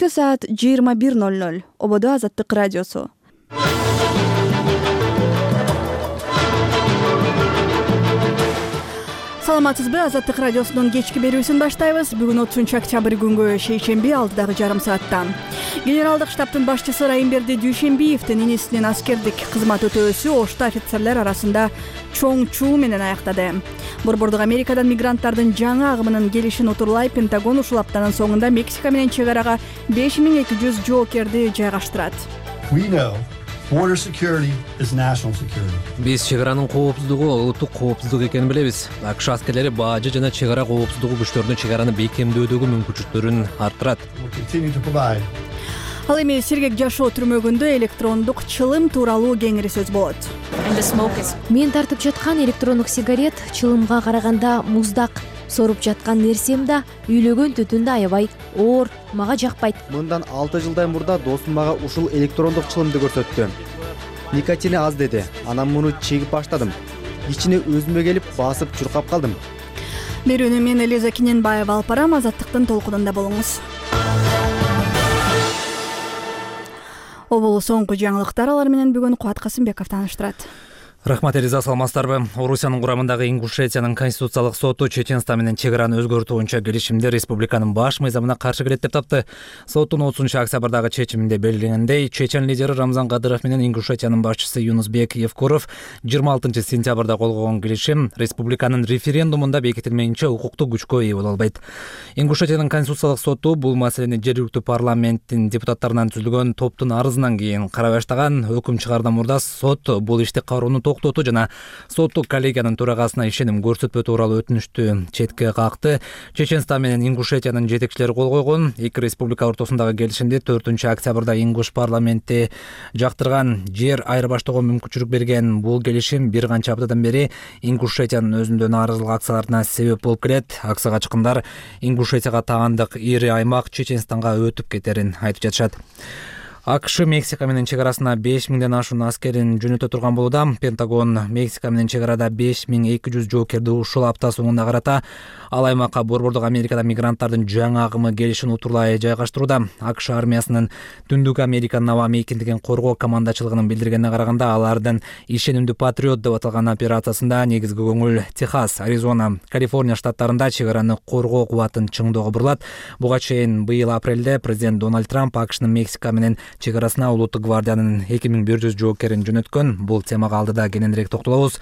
Саат 21:00 Ободо Азаттык радиосу. Саламатсызбы? Азаттык радиосунун кечки берүүсүн баштайбыз. Бүгүн 30 октябрь күнгө шейшемби алдыдагы жарым сааттан. Генералдык штабтын башчысы Райымберди Дүйшенбиевдин инисинин аскердик кызмат өтөөсү Ошто офицерлер арасында чоң чуу менен аяктады. Борбордук Америкадан мигранттардын жаңы агымынын келишин утурлай Пентагон ушул аптанын соңунда Мексика менен чегарага 5200 жоокерди жайгаштырат. Border security is national security. Биз чегаранын коопсуздугу улуттук коопсуздук экенин билебиз. АКШ аскерлери бажы жана чегара коопсуздугу күчтөрүнүн чегараны бекемдөөдөгү мүмкүнчүлүктөрүн арттырат. Ал эми Сергек жашоо түрмөгүндө электрондук чылым тууралуу кеңири сөз болот. Мен тартып жаткан электрондук сигарет чылымга караганда муздак. Соруп жаткан нерсем да, үйлөгөн түтүн да аябай оор, мага жакпайт. Мындан 6 жылдан мурда досум мага ушул электрондук чылымды көрсөттү. Никотини аз деди. Анан муну чегип баштадым. Ичине өзүмө келип басып чуркап калдым. Берүүнү мен Элиза Киненбаева алып барам. Азаттыктын толкунунда болуңуз. Обол соңку жаңылыктар алар менен бүгүн Кубат Касымбеков тааныштырат. Рахмат, Элиза, саламатсыздарбы? Орусиянын курамындагы Ингушетиянын конституциялык соту Чеченстан менен чегараны өзгөртүү боюнча келишимди республиканын баш мыйзамына каршы келет деп тапты. Соттун 30 октябрдагы чечиминде белгиленгендей, Чечен лидери Рамзан Кадыров менен Ингушетиянын башчысы Юнусбек Евкуров 26 сентябрда кол койгон келишим республиканын референдумунда бекитилмейинче укуктук күчкө ээ боло албайт. Ингушетиянын конституциялык соту бул маселени жергиликтүү парламенттин депутаттарынан түзүлгөн топтун арызынан кийин карай баштаган. Өкүм чыгаардан мурда сот бул ишти кароону токтотуу жана соттук коллегиянын төрагасына ишеним көрсөтпөө тууралуу өтүнүштү четке какты. Чеченстан менен Ингушетиянын жетекчилери кол койгон. Эки республика ортосундагы келишимди 4 октябрда Ингуш парламенти жактырган. Жер айырбаштоого мүмкүнчүлүк берген бул келишим бир канча аптадан бери Ингушетиянын өзүндө нааразылык акцияларына себеп болуп келет. Акция качкындар Ингушетияга таандык ири аймак Чеченстанга өтүп кетерин айтып жатышат. АКШ Мексика менен чегарасына 5000ден ашуун аскерин жөнөтө турган болууда. Пентагон Мексика менен чегарада 5200 жоокерди ушул апта соңуна карата ал аймакка Борбордук Америкадан мигранттардын жаңы агымы келишин утурлай жайгаштырууда. АКШ армиясынын Түндүк Американын аба мейкиндигин коргоо командачылыгынын билдиргенине караганда, алардын ишенимдүү патриот деп аталган операциясында негизги көңүл Техас, Аризона, Калифорния штаттарында чегараны коргоо кубатын чыңдоого бурулат. Буга чейин быйыл апрелде президент Дональд Трамп АКШнын Мексика менен чегарасына улуттук гвардиянын 2100 жоокерин жөнөткөн. Бул темага алдыда кененирээк токтолобуз.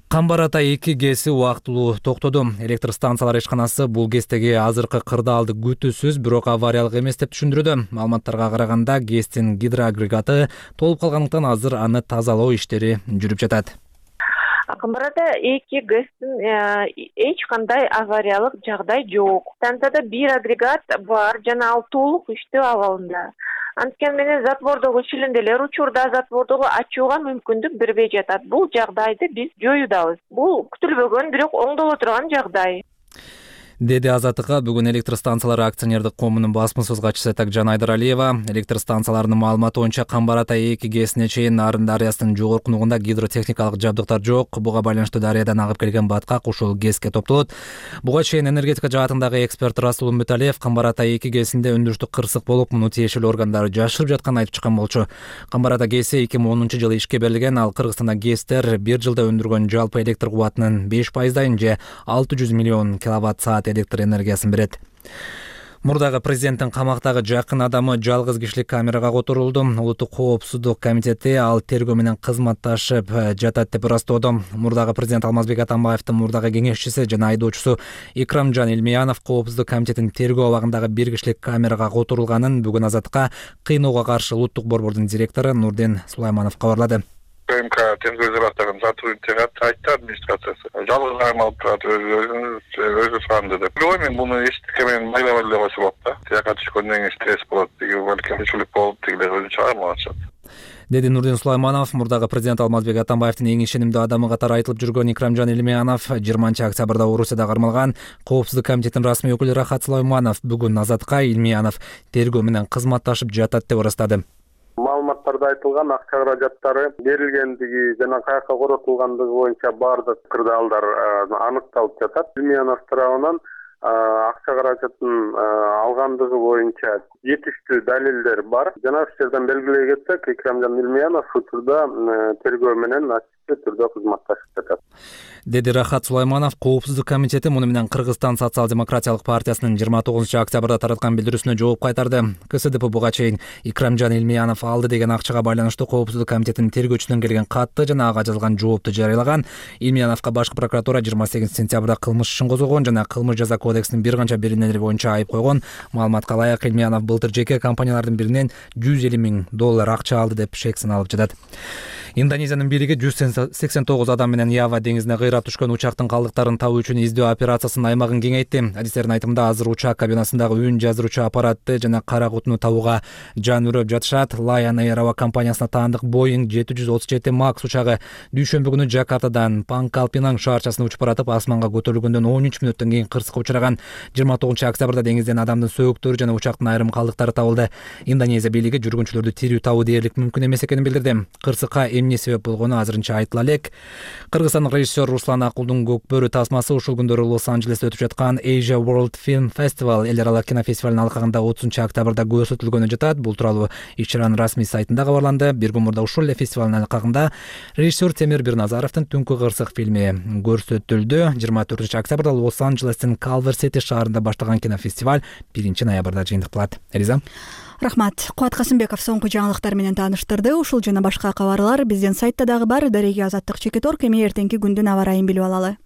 Камбар-Ата 2 ГЭСи убактылуу токтоду. Электр станциялар ишканасы бул ГЭСтеги азыркы кырдаалды күтүүсүз, бирок авариялык эмес деп түшүндүрүүдө. Маалыматтарга караганда, ГЭСтин гидроагрегаты толуп калгандыктан азыр аны тазалоо иштери жүрүп жатат. Камбар-Ата 2 ГЭСтин эч кандай авариялык жагдай жок. Станцияда бир агрегат бар жана ал толук иштөө абалында. Анткени менен затвордогу шилинделер учурда затвордогу ачууга мүмкүндүк бербей жатат. Бул жагдайды биз жоюудабыз. Бул күтүлбөгөн, бирок оңдоло турган жагдай. Деди Азаттыкка бүгүн электр станциялары акционердик коомунун басмасөз катчысы Такжан Айдаралиева. Электр станцияларынын маалыматы боюнча Камбар-Ата 2 ГЭСине чейин Нарын дарыясынын жогорку нугунда гидротехникалык жабдыктар жок. Буга байланыштуу дарыядан агып келген баткак ушул ГЭСке топтолот. Буга чейин энергетика жаатындагы эксперт Расул Муталиев Камбар-Ата 2 ГЭСинде өндүрүштүк кырсык болуп, муну тиешелүү органдар жашырып жатканын айтып чыккан болчу. Камбар-Ата ГЭСи 2010-жылы ишке берилген. Ал Кыргызстанда ГЭСтер бир жылда өндүргөн жалпы электр кубатынын 5%-ын же 600 миллион киловатт-саат электр энергиясын берет. Мурдагы президенттин камактагы жакын адамы жалгыз кишилик камерага которулду. Улуттук коопсуздук комитети ал тергөө менен кызматташып жатат деп ырастоодо. Мурдагы президент Алмазбек Атамбаевдин мурдагы кеңешчиси жана айдоочусу Икрамжан Илмиянов коопсуздук комитетинин тергөө абагындагы бир кишилик камерага которулганын бүгүн Азаттыкка кыйноого каршы улуттук борбордун директору Нурдин Сулайманов кабарлады. МК тергөө изоляторунун сотрудниктери айтты администрациясы. Жалгыз айым алып турат, өзү суранды деп. Мен буну эчтеке менен майламай эле койсо болот да. Тияка түшкөндөн кийин стресс болот, деги балкимчилик болуп, дегилер өзү чыгармалап атышат. Деди Нурдин Сулайманов. Мурдагы президент Алмазбек Атамбаевдин эң ишенимдүү адамы катары айтылып жүргөн Икрамжан Илмиянов 20 октябрда Орусияда кармалган. Коопсуздук комитетинин расмий өкүлү Рахат Сулайманов бүгүн Азатка Илмиянов тергөө менен кызматташып жатат деп ырастады. Маалыматтарда айтылган акча каражаттары берилгендиги жана каяка коротулгандыгы боюнча баардык кырдаалдар аныкталып жатат. Илмиянов тарабынан акча каражатын алгандыгы боюнча жетиштүү далилдер бар. Жана ушул жерден белгилей кетсек, Икрамжан Илмиянов учурда тергөө менен ачык түрдө кызматташып жатат, деди Рахат Сулайманов. Коопсуздук комитети муну менен Кыргызстан социал-демократиялык партиясынын 29-октябрда тараткан билдирүүсүнө жооп кайтарды. КСДП буга чейин Икрамжан Илмиянов алды деген акчага байланыштуу Коопсуздук комитетинин тергөөчүсүнөн келген катты жана ага жазылган жоопту жарыялаган. Илмияновго башкы прокуратура 28 сентябрда кылмыш ишин козгогон жана кылмыш жаза кодексинин бир канча беренелери боюнча айып койгон. Маалыматка ылайык, Илмиянов былтыр жеке компаниялардын биринен $150 000 акча алды деп шек саналып жатат. Индонезиянын бийлиги 189 адам менен Ява деңизине кыйрап түшкөн учактын калдыктарын табуу үчүн издөө операциясынын аймагын кеңейтти. Адистердин айтымында азыр учак кабинасындагы үн жаздыруучу аппаратты жана кара кутуну табууга жан үрөп жатышат. Lion Air аба компаниясына таандык Boeing 737 Max учагы дүйшөмбү күнү Жакартадан Пангкалпинанг шаарчасына учуп баратып, асманга көтөрүлгөндөн 13 мүнөттөн кийин кырсыкка учураган. 29-октябрда деңизден адамдын сөөктөрү жана учактын айрым калдыктары табылды. Индонезия бийлиги жүргүнчүлөрдү тирүү табуу дээрлик мүмкүн эмес экенин билдирди. Кырсыкка эмне себеп болгону азырынча айтыла элек. Кыргызстандык режиссер Руслан Акулдун Көкбөрү тасмасы ушул күндөрү Лос-Анджелесте өтүп жаткан Asia World Film Festival эл аралык кинофестивалынын алкагында 30-октябрда көрсөтүлгөнү жатат. Бул тууралуу иш-чаранын расмий сайтында кабарланды. Бир күн мурда ушул эле фестивалдын алкагында режиссер Темир Бирназаровдун Түнкү кырсык фильми көрсөтүлдү. 24-октябрда Лос-Анджелестин Калвер-Сити шаарында башталган кинофестиваль 1-ноябрда жыйынтыкталат. Элиза. Рахмат. Кубат Касымбеков соңку жаңылыктар менен тааныштырды. Ушул жана башка кабарлар биздин сайтта дагы бар. Дареги Азаттык Чекиторг. Эми эртеңки күндүн аба ырайын билип алалы.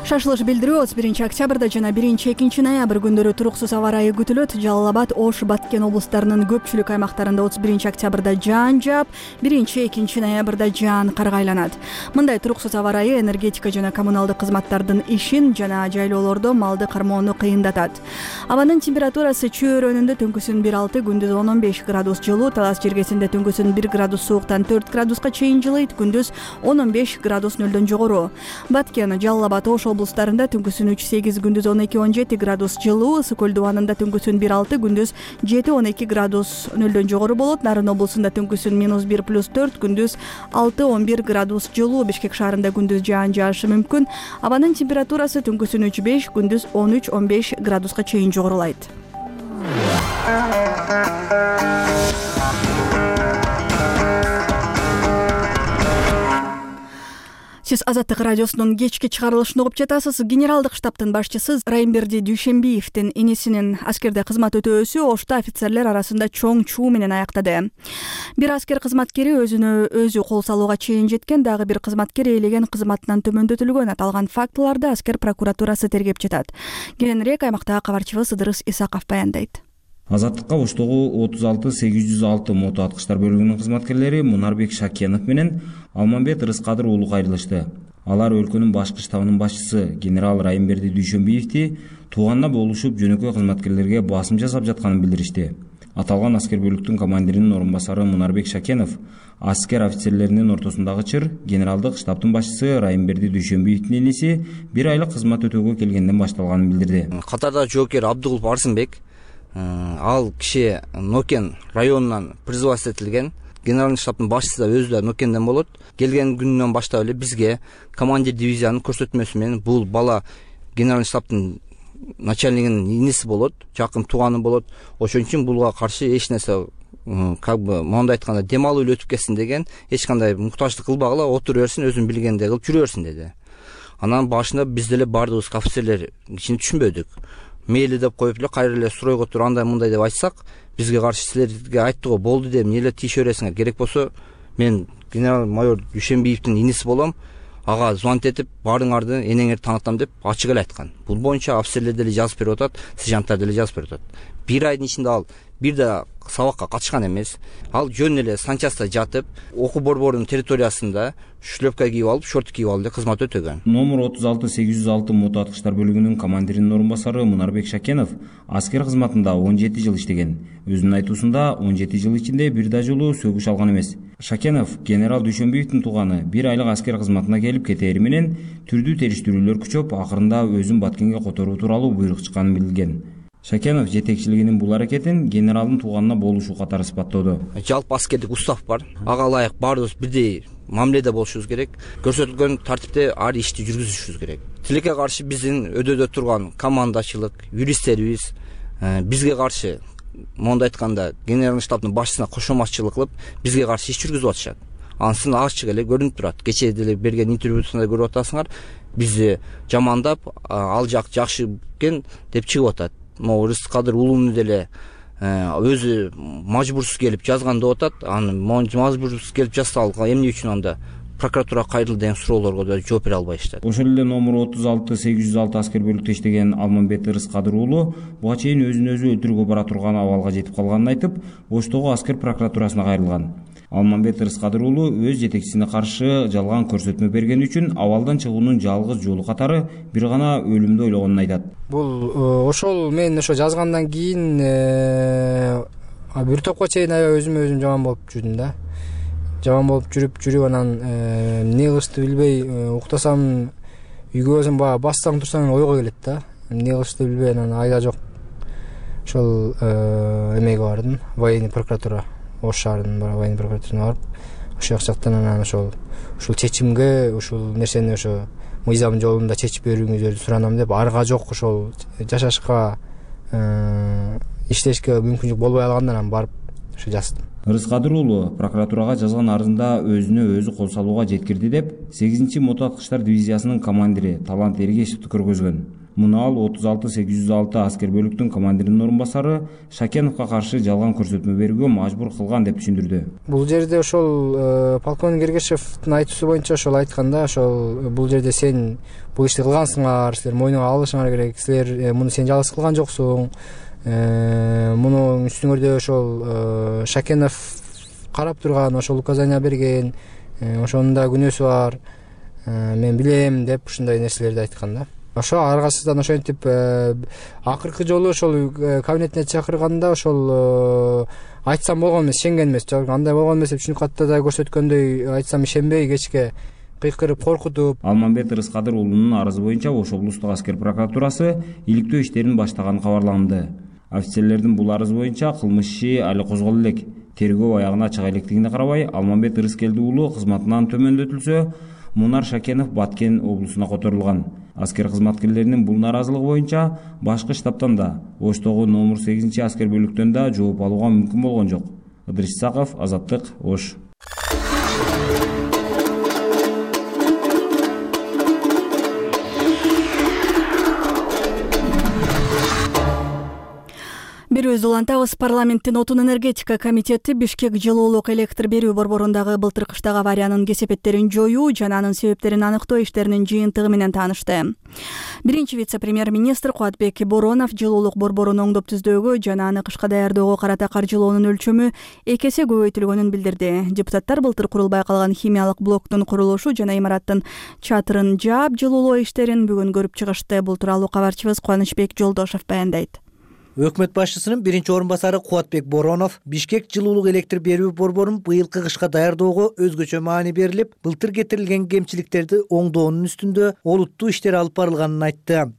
Шашылыш билдирүү 31-октябрда жана 1-2 ноябрь күндөрү туруксуз аба ырайы күтүлөт. Жалал Абад, Ош, Баткен облустарынын көпчүлүк аймактарында 31-октябрда жаан жаап, 1-2 ноябрда жаан карга айланат. Мындай туруксуз аба ырайы энергетика жана коммуналдык кызматтардын ишин жана жайлоолордо малды кармоону кыйындатат. Абанын температурасы чөйрөнүндө түнкүсүн 1-6, күндүз 10-15 градус жылуу, талас жергесинде түнкүсүн 1 градус сууктан 4 градуска чейин жылыйт, күндүз 10-15 градус нөлдөн жогору. Баткен, Жалал Абад, Ош облустарында түнкүсүн 3-8, күндүз 12-17 градус жылуу, Ысык көл дубанында түнкүсүн 1-6, күндүз 7-12 градус нөлдөн жогору болот. Нарын облусунда түнкүсүн -1+4, күндүз 6-11 градус жылуу. Бишкек шаарында күндүз жаан жаашы мүмкүн. Абанын температурасы түнкүсүн 3-5, күндүз 13-15 градуска чейин жогорулайт. Сиз Азаттык радиосунун кечки чыгарылышын угуп жатасыз. Генералдык штабтын башчысы Райымберди Дүйшембиевдин энесинин аскерде кызмат өтөөсү Ошто офицерлер арасында чоң чуу менен аяктады. Бир аскер кызматкери өзүнө өзү кол салууга чейин жеткен, дагы бир кызматкер ээлеген кызматынан төмөндөтүлгөн. Аталган фактыларды аскер прокуратурасы тергеп жатат. Кийинирээк аймактагы кабарчыбыз Ыдырыс Исаков баяндайт. Азаттыкка Оштогу 36-806 мото аткычтар бөлүгүнүн кызматкерлери Мунарбек Шакенов менен Алмамбет Рыскадыр уулу кайрылышты. Алар өлкөнүн башкы штабынын башчысы генерал Райымберди Дүйшөмбиевди тууганына болушуп жөнөкөй кызматкерлерге басым жасап жатканын билдиришти. Аталган аскер бөлүктүн командиринин орун басары Мунарбек Шакенов аскер офицерлеринин ортосундагы чыр генералдык штабтын башчысы Райымберди Дүйшөмбиевдин энеси 1 айлык кызмат өтөөгө келгенден башталганын билдирди. Катардагы жоокер Абдулов Арсынбек, ал киши Нокен районунан производство этилген. Генералдык штабтын башчысы да өзү да Нокенден болот. Келген күнүнөн баштап эле бизге командир дивизиянын көрсөтмөсү менен бул бала генералдык штабтын начальнигинин иниси болот, жакын тууганы болот. Ошон үчүн булга каршы эч нерсе моундай айтканда дем алуу эле өтүп кетсин деген, эч кандай муктаждык кылбагыла, отура берсин, өзүн билгендей кылып жүрө берсин деди. Анан башында биз деле бардыгыбыз офицерлер кичине түшүнбөдүк. Мейли деп коюп эле кайра эле суройго туруп андай мындай деп айтсак, бизге каршы силерге айтты го, болду деп эмне эле тийише бересиңер, керек болсо мен генерал майор Дүйшөмбиевдин иниси болом, ага звонить этип баарыңарды энеңерди таанытам деп ачык эле айткан. Бул боюнча офицерлер деле жазып берип атат, сержанттар деле жазып берип атат. Бир айдын ичинде ал бир да сабакка катышкан эмес. Ал жөн эле санчаста жатып, окуу борборунун территориясында шлепка кийип алып, шорт кийип алып кызмат өтөгөн. Номер 36-806 мото аткычтар бөлүгүнүн командиринин орун басары Мунарбек Шакенов аскер кызматында 17 жыл иштеген. Өзүнүн айтуусунда 17 жыл ичинде бир да жолу сөгүш алган эмес. Шакенов генерал Дүйшөмбиевдин тууганы 1 айлык аскер кызматына келип кетери менен түрдүү териштирүүлөр күчөп, акырында өзүн Баткенге которуу тууралуу буйрук чыкканын билдирген. Шакенов жетекчилигинин бул аракетин генералдын тууганына болушу катары сыпаттоодо. Жалпы аскердик устав бар. Ага ылайык баарыбыз бирдей мамиледе болушубуз керек. Көрсөтүлгөн тартипте ар ишти жүргүзүшүбүз керек. Тилекке каршы биздин өдөдө турган командачылык, юристтерибиз бизге каршы, монда айтканда, генералдык штабдын башчысына кошоматчылык кылып, бизге каршы иш жүргүзүп атышат. Ансын ачык эле көрүнүп турат. Кечээ деле берген интервьюсунда көрүп атасыңар, бизди жамандап, ал жак жакшы экен деп чыгып атат. Могу Рыскадыр уулуну деле өзү мажбурсуз келип жазган деп атат. Аны мажбурсуз келип жазса эмне үчүн анда прокуратурага кайрылды деген суроолорго да жооп бере албайшты. Ошол эле номер 36-806 аскер бөлүктө иштеген Алмамбет Рыскадыр уулу буга чейин өзүн өзү өлтүрүүгө бара турган абалга жетип калганын айтып, Оштогу аскер прокуратурасына кайрылган. Алмамбет Рыскадыр уулу өз жетекчисине каршы жалган көрсөтмө бергени үчүн абалдан чыгуунун жалгыз жолу катары бир гана өлүмдү ойлогонун айтат. Бул ошол мен ошо жазгандан кийин бир топко чейин аябай өзүмө өзүм жаман болуп жүрдүм да. Жаман болуп жүрүп анан эмне кылышты билбей уктасам, үйгө барсам баягы бассаң турсаң ойго келет да. Эмне кылышты билбей анан айда жок. Ошол эмеге бардым, военный прокуратура, Ош шаарынын военный прокуратурасына барып, ошол жактан анан ошол чечимге, ушул нерсени ошо мыйзам жолунда чечип берүүңүздөрдү суранам деп, арга жок ошол жашашка, иштешке мүмкүнчүлүк болбой калгандан анан барып ошо жаздым. Рыскадыр уулу прокуратурага жазган арызында өзүнө өзү кол салууга жеткирди деп 8-чи мотоаткычтар дивизиясынын командири Талант Эргешевди көргөзгөн. Муну ал 36-806 аскер бөлүктүн командиринин орун басары Шакеновго каршы жалган көрсөтмө берүүгө мажбур кылган деп түшүндүрдү. Бул жерде ошол полковник Эргешевдин айтуусу боюнча ошол айтканда, ошол бул жерде сен бул ишти кылгансыңар, силер мойнуңа алышыңар керек, силер муну сен жалгыз кылган жоксуң. Мунун үстүңөрдө ошол Шакенов карап турган, ошол указания берген, ошонун да күнөөсү бар, мен билем деп ушундай нерселерди айткан да. Ошо аргасыздан ошентип акыркы жолу ошол кабинетине чакырганда ошол айтсам болгон эмес, ишенген эмес, андай болгон эмес деп түшүнүп катты да, көрсөткөндөй айтсам ишенбей кечке кыйкырып коркутуп. Алмамбет Рыскадыр уулунун арызы боюнча Ош облустук аскер прокуратурасы иликтөө иштерин баштаганы кабарланды. Офицерлердин бул арызы боюнча кылмыш иши али козголо элек. Тергөө аягына чыга электигине карабай, Алмамбет Рыскелди уулу кызматынан төмөндөтүлсө, Мунар Шакенов Баткен облусуна которулган. Аскер кызматкерлеринин бул наразылыгы боюнча башкы штабтан да, Оштогу номер 8-чи аскер бөлүктөн да жооп алууга мүмкүн болгон жок. Ыдырыс Исаков, Азаттык, Ош. Берүүбүздү улантабыз. Парламенттин отун энергетика комитети Бишкек жылуулук электр берүү борборундагы былтыр кыштагы авариянын кесепеттерин жоюу жана анын себептерин аныктоо иштеринин жыйынтыгы менен таанышты. Биринчи вице-премьер-министр Кубатбек Боронов жылуулук борборун оңдоп түздөөгө жана аны кышка даярдөөгө карата каржылоонун өлчөмү 2 эсе көбөйтүлгөнүн билдирди. Депутаттар былтыр курулбай калган химиялык блоктун курулушу жана имараттын чатырын жаап жылуулоо иштерин бүгүн көрүп чыгышты. Бул тууралуу кабарчыбыз Кубанычбек Жолдошов баяндайт. Өкмөт башчысынын биринчи орун басары Кубатбек Боронов Бишкек жылуулук электр берүү борборун быйылкы кышка даярдоого өзгөчө маани берилип, былтыр кетирилген кемчиликтерди оңдоонун үстүндө олуттуу иштер алып барылганын айтты.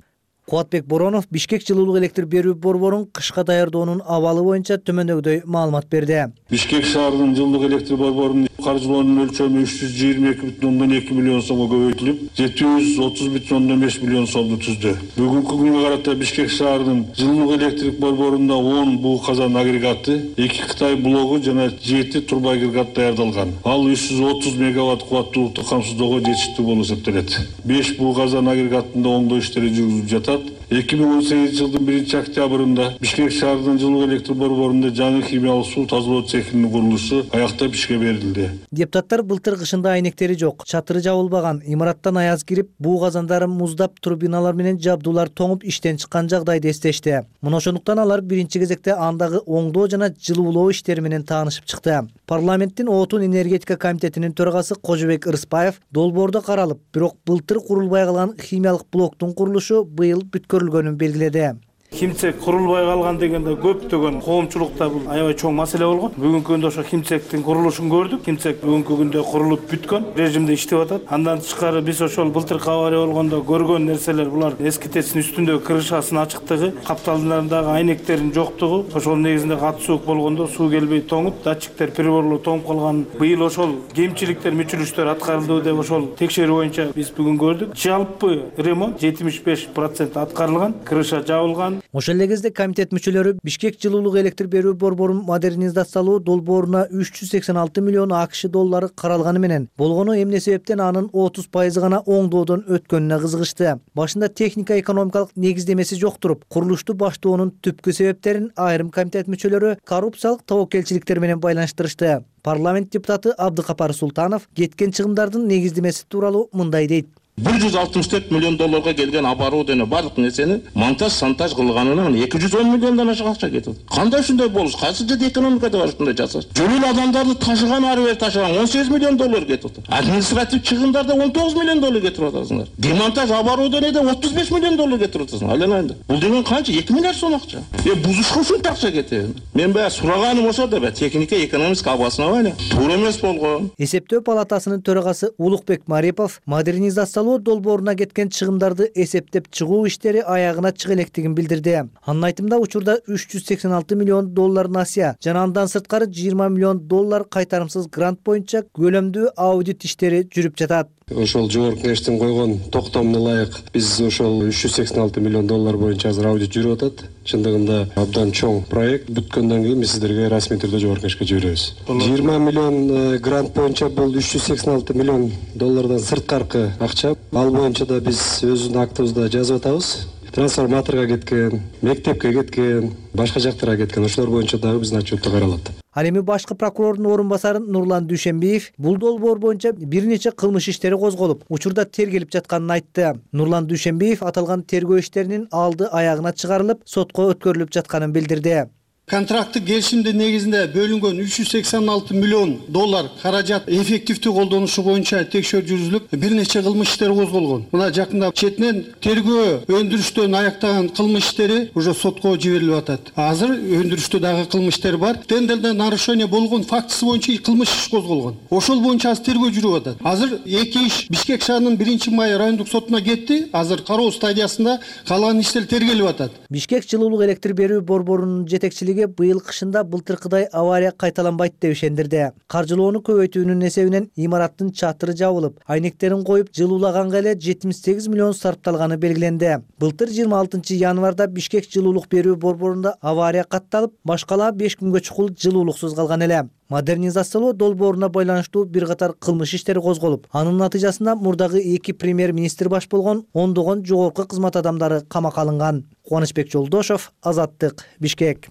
Кубатбек Боронов Бишкек жылуулук электр берүү борборун кышка даярдоонун абалы боюнча төмөндөгүдөй маалымат берди. Бишкек шаарынын жылдык электр борборунун каржылоонун өлчөмү 322,2 миллион сомго көбөйтүлүп, 730,5 миллион сомду түздү. Бүгүнкү күнгө карата Бишкек шаарынын жылдык электрик борборунда 10 буу казан агрегаты, 2 Кытай блогу жана 7 турбо агрегат даярдалган. Ал 330 мегаватт кубаттуулукту камсыздоого жетиштүү болуп эсептелет. 5 буу казан агрегатында оңдоо иштери жүргүзүлүп жатат. 2018 жылдын 1-октябрында Бишкек шаарынын жылдык электр борборунда жаңы химиялык суу тазалоо цехинин курулушу аяктап ишке берилди. Депутаттар былтыр кышында айнектери жок, чатыры жабылбаган, имараттан аяз кирип, буу казандары муздап, турбиналар менен жабдуулар тоңуп иштен чыккан жагдайды эстешти. Мына ошондуктан алар биринчи кезекте андагы оңдоо жана жылуулоо иштери менен таанышып чыкты. Парламенттин отун энергетика комитетинин төрагасы Кожобек Ырыспаев долбоордо каралып, бирок былтыр курулбай калган химиялык блоктун курулушу быйыл бүткөрүлгөнүн белгиледи. Химцек курулбай калган дегенде көптөгөн коомчулукта бул аябай чоң маселе болгон. Бүгүнкү күндө ошо химцектин курулушун көрдүк. Химцек бүгүнкү күндө курулуп бүткөн режимде иштеп атат. Андан тышкары биз ошол былтыркы авария болгондо көргөн нерселер булар эски ТЭЦтин үстүндөгү крышасынын ачыктыгы, капталдардагы айнектердин жоктугу, ошол негизинде катуу суук болгондо суу келбей тоңуп, датчиктер приборлор тоңуп калган. Быйыл ошол кемчиликтер, мүчүлүштөр аткарылды деп ошол текшерүү боюнча биз бүгүн көрдүк. Жалпы ремонт 75% аткарылган, крыша жабылган. Ошол эле кезде комитет мүчөлөрү Бишкек жылуулук электр берүү борборун модернизациялоо долбооруна 386 миллион АКШ доллары каралганы менен болгону эмне себептен анын 30% гана оңдоодон өткөнүнө кызыгышты. Башында техника экономикалык негиздемеси жок туруп, курулушту баштоонун түпкү себептерин айрым комитет мүчөлөрү коррупциялык тобокелчиликтер менен байланыштырышты. Парламент депутаты Абдыкапар Султанов кеткен чыгымдардын негиздемеси тууралуу мындай дейт. 164 миллион долларга келген оборудование барлык нерсени монтаж кылганына 210 миллиондон ашык акча кетип. Кандай ушундай болуш? Кайсы жерде экономикада бар ушундай жасаш? Жөнүл адамдарды ташыган ары бери ташыган 18 миллион доллар кетип атат. Административ чыгымдарда 19 миллион доллар кетирип атасыңар. Демонтаж оборудованияда 35 миллион доллар кетирип атасыңар. Айланайында. Бул деген канча? 2 миллиард сом акча. Бузушка ушунча акча кетеби? Мен баягы сураганым ошо да техника экономика обоснование туура эмес болгон. Эсептөө палатасынын төрагасы Улукбек Марипов модернизациялоо долбооруна кеткен чыгымдарды эсептеп чыгуу иштери аягына чыга электигин билдирди. Анын айтымында учурда 386 миллион доллар насыя жана андан сырткары 20 миллион доллар кайтарымсыз грант боюнча көлөмдүү аудит иштери жүрүп жатат. Ошол жогорку кеңештин койгон токтомуна ылайык биз ошол 386 миллион доллар боюнча азыр аудит жүрүп атат. Чындыгында абдан чоң проект. Бүткөндөн кийин биз сиздерге расмий түрдө жогорку кеңешке жиберебиз. 20 миллион грант боюнча бул 386 миллион доллардан сырткаркы акча. Ал боюнча да биз өзүбүздүн актыбызда жазып атабыз. Трансформаторго кеткен, мектепке кеткен, башка жактарга кеткен, ошолор боюнча дагы биздин отчетто каралат. Ал эми башкы прокурордун орун басары Нурлан Дүйшенбиев бул долбоор боюнча бир нече кылмыш иштери козголуп, учурда тергелип жатканын айтты. Нурлан Дүйшенбиев аталган тергөө иштеринин алды аягына чыгарылып, сотко өткөрүлүп жатканын билдирди. Контракттык келишимдин негизинде бөлүнгөн 386 миллион доллар каражат эффективдүү колдонушу боюнча текшерүү жүргүзүлүп, бир нече кылмыш иштери козголгон. Мына жакында четинен тергөө өндүрүштөн аяктаган кылмыш иштери уже сотко жиберилип атат. Азыр өндүрүштө дагы кылмыш иштер бар. Тендерде нарушение болгон фактысы боюнча кылмыш иш козголгон. Ошол боюнча азыр тергөө жүрүп атат. Азыр эки иш Бишкек шаарынын 1-май райондук сотуна кетти. Азыр кароо стадиясында калган иштер тергелип атат. Бишкек жылуулук электр берүү борборунун жетекчилиги быйыл кышында былтыркыдай авария кайталанбайт деп ишендирди. Каржылоону көбөйтүүнүн эсебинен имараттын чатыры жабылып, айнектерин коюп жылуулаганга эле 78 миллион сарпталганы белгиленди. Былтыр 26 январда Бишкек жылуулук берүү борборунда авария катталып, башкалаа 5 күнгө чукул жылуулуксуз калган эле. Модернизациялоо долбооруна байланыштуу бир катар кылмыш иштери козголуп, анын натыйжасында мурдагы 2 премьер-министр баш болгон ондогон жогорку кызмат адамдары камакка алынган. Кубанычбек Жолдошов, Азаттык, Бишкек.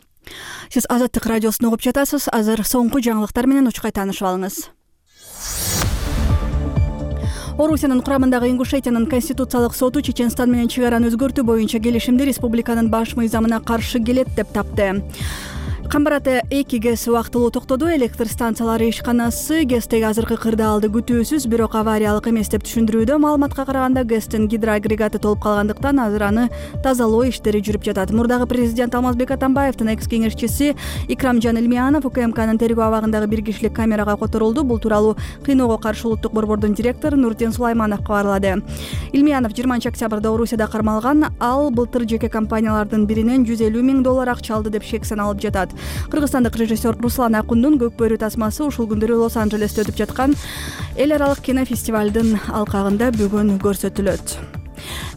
Сиз Азаттык радиосун угуп жатасыз. Азыр соңку жаңылыктар менен учкай таанышып алыңыз. Орусиянын курамындагы Ингушетиянын конституциялык соту Чеченстан менен чек араны өзгөртүү боюнча келишимди республиканын баш мыйзамына каршы келет деп тапты. Камбараты 2 ГЭС убактылуу токтоду. Электр станциялары ишканасы ГЭСтеги азыркы кырдаалды күтүүсүз, бирок авариялык эмес деп түшүндүрүүдө. Маалыматка караганда ГЭСтин гидроагрегаты толуп калгандыктан азыр аны тазалоо иштери жүрүп жатат. Мурдагы президент Алмазбек Атамбаевдин экс-кеңешчиси Икрамжан Илмиянов УКМКнын тергөө абагындагы бир кишилик камерага которулду. Бул тууралуу Кыйноого каршы улуттук борбордун директору Нуртен Сулайманов кабарлады. Илмиянов 20 октябрда Орусияда кармалган. Ал былтыр жеке компаниялардын биринен 150 миң доллар акча алды деп шек саналып жатат. Кыргызстандык режиссер Руслан Акундун Көк бөрү тасмасы ушул күндөрү Лос-Анджелесте өтүп жаткан эл аралык кинофестивалдын алкагында бүгүн көрсөтүлөт.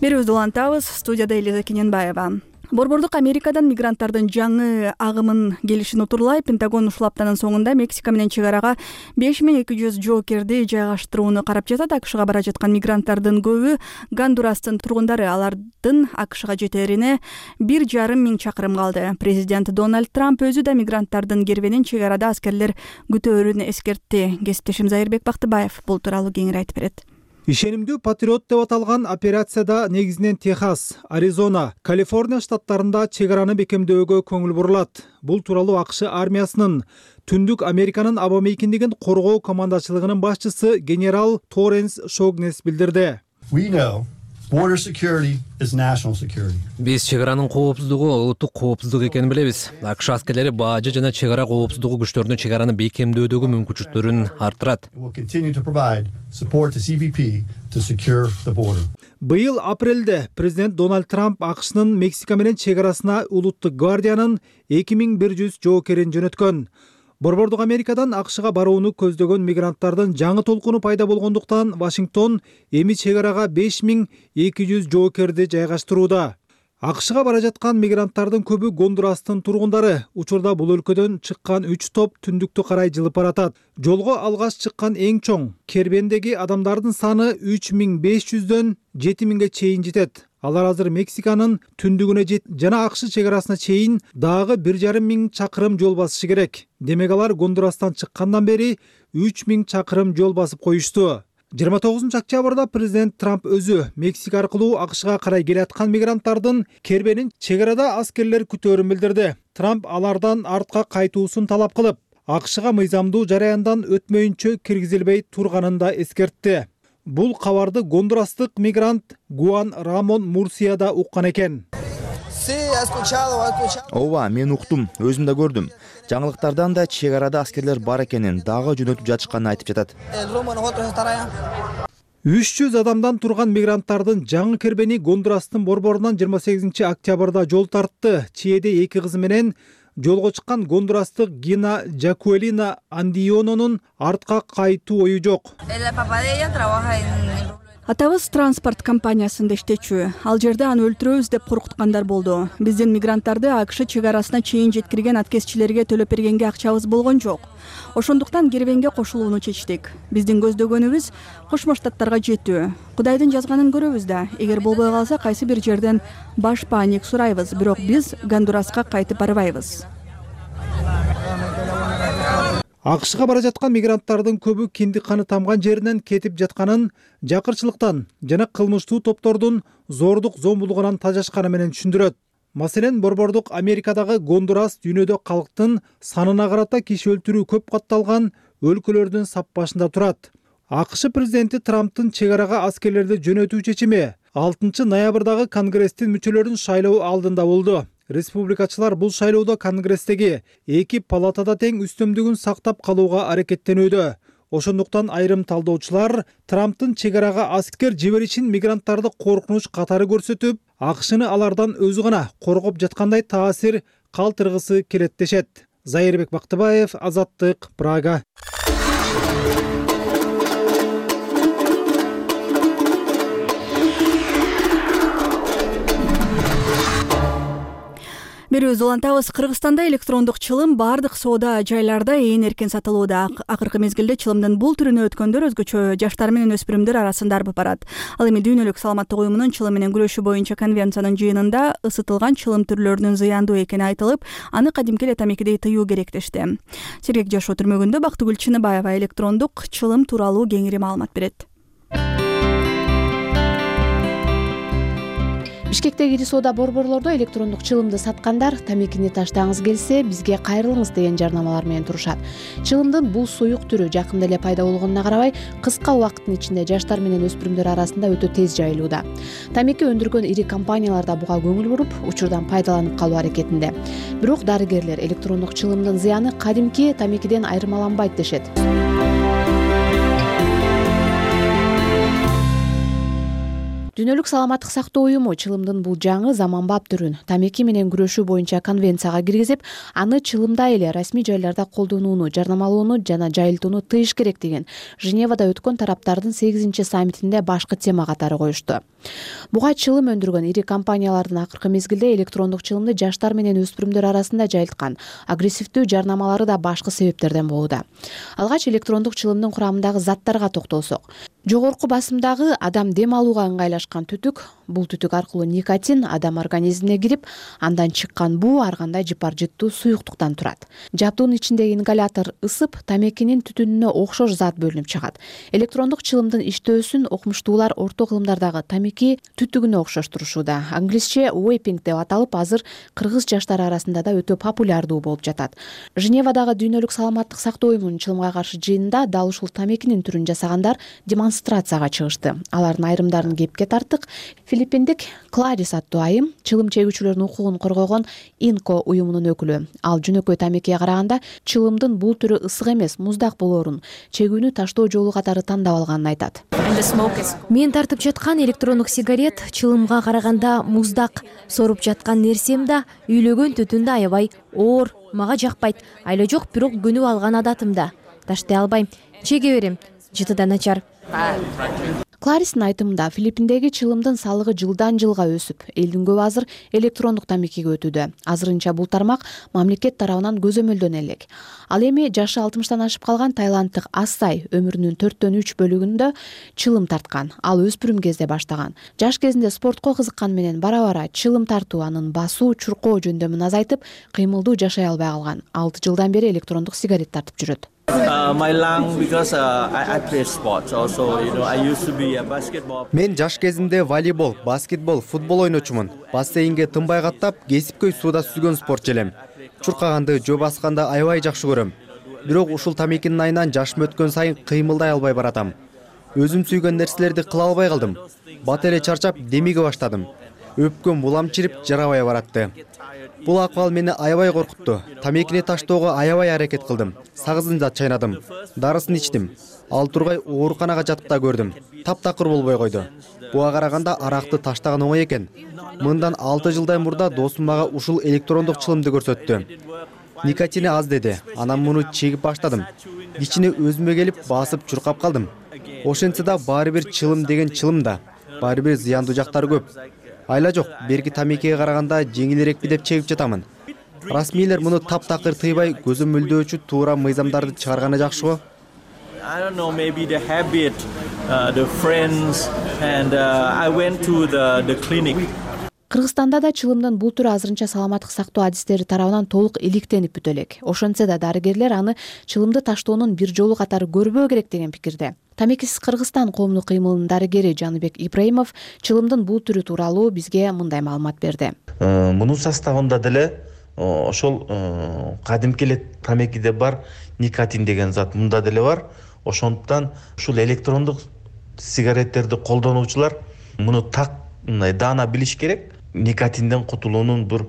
Берүүбүздү улантабыз. Студияда Элиза Кененбаева. Борбордук Америкадан мигранттардын жаңы агымын келишин утурлай Пентагон ушул аптанын соңунда Мексика менен чек арага 5200 жоокерди жайгаштырууну карап жатат. АКШга бара жаткан мигранттардын көбү Гондурастын тургундары. Алардын АКШга жетерине 1,5 миң чакырым калды. Президент Дональд Трамп өзү да мигранттардын кербенин чек арада аскерлер күтөөрүн эскертти. Кесиптешим Зайырбек Бактыбаев бул тууралуу кеңири айтып берет. Ишенимдүү патриот деп аталган операцияда негизинен Техас, Аризона, Калифорния штаттарында чек араны бекемдөөгө көңүл бурулат. Бул тууралуу АКШ армиясынын Түндүк Американын аба мейкиндигин коргоо командачылыгынын башчысы генерал Торренс Шогнес билдирди. We know Border security is national security. Биз чек аранын коопсуздугу улуттук коопсуздук экенин билебиз. АКШ аскерлери бажы жана чек ара коопсуздугу күчтөрүнүн чек араны бекемдөөдөгү мүмкүнчүлүктөрүн арттырат. We'll continue to provide support to CBP to secure the border. Быйыл апрелде президент Дональд Трамп АКШнын Мексика менен чек арасына улуттук гвардиянын 2100 жоокерин жөнөткөн. Борбордук Америкадан АКШга барууну көздөгөн мигранттардын жаңы толкуну пайда болгондуктан Вашингтон эми чек арага 5200 жоокерди жайгаштырууда. АКШга бара жаткан мигранттардын көбү Гондурастын тургундары. Учурда бул өлкөдөн чыккан 3 топ түндүктү карай жылып баратат. Жолго алгаш чыккан эң чоң кербендеги адамдардын саны 3500дөн 7000ге чейин жетет. Алар азыр Мексиканын түндүгүнө жана АКШ чек арасына чейин дагы 1500 чакырым жол басышы керек. Демек алар Гондурастан чыккандан бери 3000 чакырым жол басып коюшту. 29 октябрда президент Трамп өзү Мексика аркылуу АКШга карай келаткан мигранттардын кербенин чек арада аскерлер күтөөрүн билдирди. Трамп алардан артка кайтуусун талап кылып, АКШга мыйзамдуу жараяндан өтмөйүнчө киргизилбей турганын да эскертти. Бул кабарды гондурастык мигрант Гуан Рамон Мурсия да уккан экен. Ооба, мен уктум, өзүм да көрдүм. Жаңылыктардан да чек арада аскерлер бар экенин, дагы жөнөтүп жатышканын айтып жатат. 300 адамдан турган мигранттардын жаңы кербени Гондурастын борборунан 28 октябрда жол тартты. Чиеде 2 кызы менен жолго чыккан гондурастык Гина Жакуэлина Андиононун артка кайтуу ою жок. Атабыз транспорт компаниясында иштечү. Ал жерде аны өлтүрөбүз деп коркуткандар болду. Биздин мигранттарды АКШ чек арасына чейин жеткирген аткезчилерге төлөп бергенге акчабыз болгон жок. Ошондуктан кербенге кошулууну чечтик. Биздин көздөгөнүбүз Кошмо Штаттарга жетүү. Кудайдын жазганын көрөбүз да. Эгер болбой калса кайсы бир жерден баш пааник сурайбыз, бирок биз Гондураска кайтып барбайбыз. АКШга бара жаткан мигранттардын көбү киндик каны тамган жеринен кетип жатканын, жакырчылыктан жана кылмыштуу топтордун зордук зомбулугунан тажашканы менен түшүндүрөт. Маселен, борбордук Америкадагы Гондурас дүйнөдө калктын санына карата киши өлтүрүү көп катталган өлкөлөрдүн сап башында турат. АКШ президенти Трамптын чек арага аскерлерди жөнөтүү чечими 6 ноябрдагы Конгресстин мүчөлөрүн шайлоо алдында болду. Республикачылар бул шайлоодо Конгресстеги 2 палатада тең үстөмдүгүн сактап калууга аракеттенүүдө. Ошондуктан айрым талдоочулар Трамптын чек арага аскер жиберишин мигранттарды коркунуч катары көрсөтүп, АКШны алардан өзү гана коргоп жаткандай таасир калтыргысы келет дешет. Зайырбек Бактыбаев, Азаттык, Прага. Берүүбүз улантабыз. Кыргызстанда электрондук чылым бардык соода жайларда ээн эркин сатылууда. Акыркы мезгилде чылымдын бул түрүнө өткөндөр өзгөчө жаштар менен өспүрүмдөр арасында арбып барат. Ал эми Дүйнөлүк саламаттык уюмунун чылым менен күрөшүү боюнча конвенциянын жыйынында ысытылган чылым түрлөрүнүн зыяндуу экени айтылып, аны кадимки эле тамекидей тыюу керек дешти. Сергек жашоо түрмөгүндө Бактыгүл Чыныбаева электрондук чылым тууралуу кеңири маалымат берет. Бишкектеги ири соода борборлордо электрондук чылымды саткандар тамекини таштагыңыз келсе бизге кайрылыңыз деген жарнамалар менен турушат. Чылымдын бул суюк түрү жакында эле пайда болгонуна карабай, кыска убакыттын ичинде жаштар менен өспүрүмдөр арасында өтө тез жайылууда. Тамеки өндүргөн ири компаниялар да буга көңүл буруп, учурдан пайдаланып калуу аракетинде. Бирок дарыгерлер электрондук чылымдын зыяны кадимки тамекиден айырмаланбайт дешет. Дүйнөлүк саламаттык сактоо уюму чылымдын бул жаңы заманбап түрүн тамеки менен күрөшүү боюнча конвенцияга киргизип, аны чылымда эле расмий жайларда колдонууну, жарнамалоону жана жайылтууну тыйыш керек деген Женевада өткөн тараптардын 8 саммитинде башкы тема катары коюшту. Буга чылым өндүргөн ири компаниялардын акыркы мезгилде электрондук чылымды жаштар менен өспүрүмдөр арасында жайылткан агрессивдүү жарнамалары да башкы себептерден болууда. Алгач электрондук чылымдын курамындагы заттарга токтолсок, жогорку басымдагы адам дем алууга ыңгайлашкан түтүк, бул түтүк аркылуу никотин адам организмине кирип, андан чыккан буу ар кандай жыпар жыттуу суюктуктан турат. Жабдуунун ичиндеги ингалятор ысып, тамекинин түтүнүнө окшош зат бөлүнүп чыгат. Электрондук чылымдын иштөөсүн окумуштуулар орто кылымдардагы тамеки түтүгүнө окшоштурушууда. Англисче vaping деп аталып, азыр кыргыз жаштары арасында да өтө популярдуу болуп жатат. Женевадагы Дүйнөлүк саламаттык сактоо уюмунун чылымга каршы жыйынында дал ушул тамекинин түрүн жасагандар демонстрация демонстрацияга чыгышты. Алардын айрымдарын кепке тарттык. Филиппиндик Кларис аттуу айым чылым чегүүчүлөрдүн укугун коргогон Инко уюмунун өкүлү. Ал жөнөкөй тамекиге караганда чылымдын бул түрү ысык эмес, муздак болоорун, чегүүнү таштоо жолу катары тандап алганын айтат. Мен тартып жаткан электрондук сигарет чылымга караганда муздак. Соруп жаткан нерсем да үйлөгөн түтүн да аябай оор, мага жакпайт. Айла жок, бирок көнүп алган адатым да. Таштай албайм, чеге берем, жыты да начар. Кларистин айтымында Филиппиндеги чылымдын салыгы жылдан жылга өсүп, элдин көбү азыр электрондук тамекиге өтүүдө. Азырынча бул тармак мамлекет тарабынан көзөмөлдөнө элек. Ал эми жашы 60-тан ашып калган тайланддык Асай өмүрүнүн 4/3 бөлүгүндө чылым тарткан. Ал өспүрүм кезде баштаган. Жаш кезинде спортко кызыкканы менен бара-бара чылым тартуу анын басуу, чуркоо жөндөмүн азайтып, кыймылдуу жашай албай калган. 6 жылдан бери электрондук сигарет тартып жүрөт. Мен жаш кезимде волейбол, баскетбол, футбол ойночумун. Бассейнге тынбай каттап, кесипкөй сууда сүзгөн спортчу элем. Чуркаганды, жөө басканды аябай жакшы көрөм. Бирок ушул тамекинин айынан жашым өткөн сайын кыймылдай албай баратам. Өзүм сүйгөн нерселерди кыла албай калдым. Бат эле чарчап, демиге баштадым. Өпкөм булам чирип, жарабай баратты. Бул акыбал мени аябай коркутту. Тамекини таштоого аябай аракет кылдым. Сагызын да чайнадым. Дарысын ичтим. Ал тургай ооруканага жатып да көрдүм. Таптакыр болбой койду. Буга караганда аракты таштаган оңой экен. Мындан 6 жылдан мурда досум мага ушул электрондук чылымды көрсөттү. Никотини аз деди. Анан муну чегип баштадым. Кичине өзүмө келип, басып чуркап калдым. Ошентсе да баары бир чылым деген чылым да. Баары бир зыяндуу жактары көп. Айла жок, берки тамекиге караганда жеңилирекпи деп чегип жатамын. Расмийлер муну таптакыр тыйбай, көзөмөлдөөчү туура мыйзамдарды чыгарганы жакшы го. Кыргызстанда да чылымдын бул түрү азырынча саламаттык сактоо адистери тарабынан толук иликтенип бүтө элек. Ошентсе да дарыгерлер аны чылымды таштоонун бир жолу катары көрбөө керек деген пикирде. Тамекисиз Кыргызстан коомдук кыймылынын дарыгери Жаныбек Ибраимов чылымдын бул түрү тууралуу бизге мындай маалымат берди. Мунун составында деле ошол кадимки эле тамекиде бар никотин деген зат мында деле бар. Ошондуктан ушул электрондук сигареттерди колдонуучулар муну так мындай даана билиш керек. Никотинден кутулуунун бир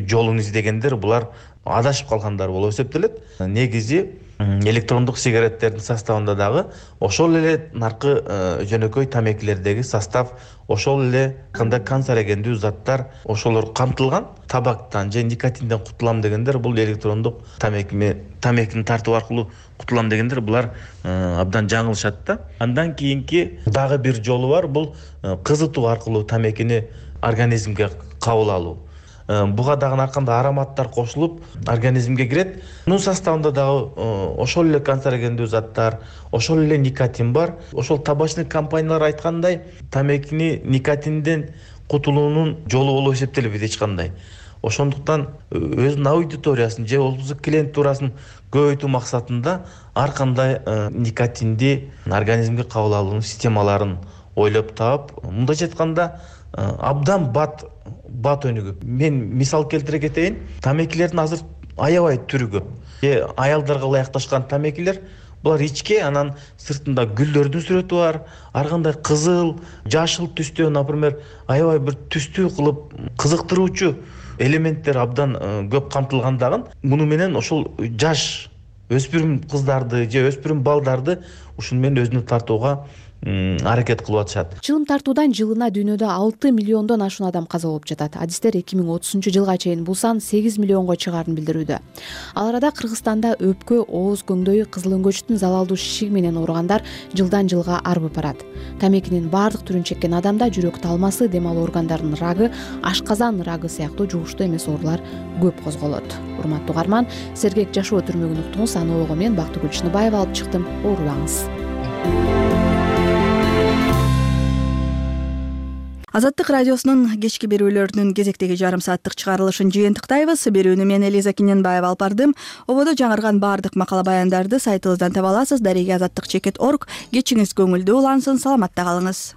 жолун издегендер булар адашып калгандар болуп эсептелет. Негизи электрондук сигареттердин составында дагы ошол эле наркы жөнөкөй тамекилердеги состав, ошол эле кандай канцерогендүү заттар ошолор камтылган. Табактан же никотинден кутулам дегендер бул электрондук тамекини тартуу аркылуу кутулам дегендер булар абдан жаңылышат да. Андан кийинки дагы бир жолу бар, бул кызытуу аркылуу тамекини организмге кабыл алуу. Буга дагы ар кандай ароматтар кошулуп организмге кирет. Мунун составында дагы ошол эле канцерогендүү заттар, ошол эле никотин бар. Ошол табачный компаниялар айткандай, тамекини никотинден кутулуунун жолу болуп эсептелбейт эч кандай. Ошондуктан өзүнүн аудиториясын же олуздук клиент туурасын көбөйтүү максатында ар кандай никотинди организмге кабыл алуунун системаларын ойлоп таап, мындайча айтканда абдан бат өнүгүп. Мен мисал келтире кетейин. Тамекилердин азыр аябай түрү көп. Аялдарга ылайыкташкан тамекилер булар ичке, анан сыртында гүлдөрдүн сүрөтү бар, ар кандай кызыл, жашыл түстө, например, аябай бир түстүү кылып кызыктыруучу элементтер абдан көп камтылгандагын. Муну менен ошол жаш өспүрүм кыздарды же өспүрүм балдарды ушуну менен өзүнө тартууга аракет кылып атышат. Чылым тартуудан жылына дүйнөдө 6 миллиондон ашуун адам каза болуп жатат. Адистер 2030-жылга чейин бул сан 8 миллионго чыгаарын билдирүүдө. Ал арада Кыргызстанда өпкө, ооз көңдөйү, кызыл өңгөчтүн залалдуу шишиги менен ооругандар жылдан жылга арбып барат. Тамекинин баардык түрүн чеккен адамда жүрөк талмасы, дем алуу органдарынын рагы, ашказан рагы сыяктуу жугуштуу эмес оорулар көп козголот. Урматтуу угарман, сергек жашоо түрмөгүн уктуңуз. Аны ого мен Бактыгүл Чыныбаева алып чыктым. Оорубаңыз. Азаттык радиосунун кечки берүүлөрүнүн кезектеги жарым сааттык чыгарылышын жыйынтыктайбыз. Берүүнү мен Элиза Киненбаева алып бардым. Ободо жаңырган баардык макала баяндарды сайтыбыздан таба аласыз. Дареге azаттык.org. Кечиңиз көңүлдүү улансын, саламатта калыңыз.